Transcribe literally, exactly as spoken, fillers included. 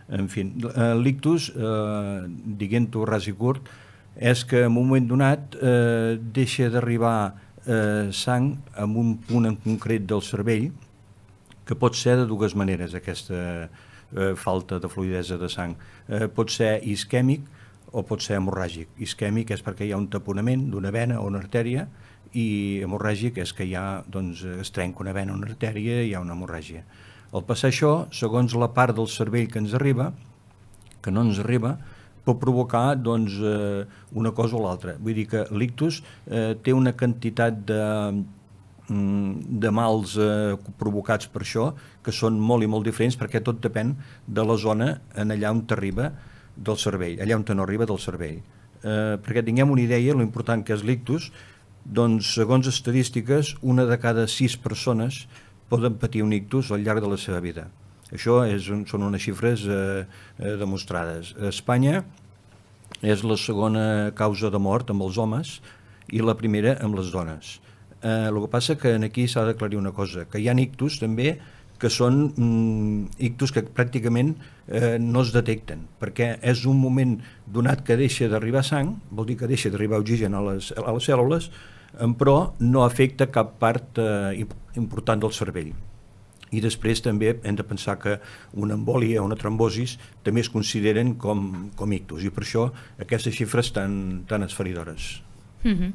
En fi, l'ictus, diguent-ho ras i curt, és que en un moment donat eh, deixa d'arribar eh, sang en un punt en concret del cervell, que pot ser de dues maneres, aquesta eh, falta de fluïdesa de sang. Eh, pot ser isquèmic o pot ser hemorràgic. Isquèmic és perquè hi ha un taponament d'una vena o una artèria, i hemorràgic és que hi ha, doncs, es trenca una vena o una artèria i hi ha una hemorràgia. Al passar això, segons la part del cervell que ens arriba, que no ens arriba, pot provocar doncs, eh, una cosa o l'altra. Vull dir que l'ictus eh, té una quantitat de, de mals eh, provocats per això que són molt i molt diferents, perquè tot depèn de la zona en allà on t'arriba del cervell, allà on te no arriba del cervell. Eh, perquè tinguem una idea, l'important que és l'ictus, doncs, segons estadístiques, una de cada sis persones poden patir un ictus al llarg de la seva vida. Això és, són unes xifres eh, eh, demostrades. A Espanya és la segona causa de mort amb els homes i la primera amb les dones. Eh, el que passa que aquí s'ha d'aclarir una cosa, que hi ha ictus també que són mm, ictus que pràcticament eh, no es detecten, perquè és un moment donat que deixa d'arribar sang, vol dir que deixa d'arribar oxigen a les, a les cèl·lules, però no afecta cap part eh, important del cervell. I després també hem de pensar que una embòlia o una trombosis també es consideren com, com ictus, i per això aquestes xifres tan, tan esfereïdores. Mm-hmm.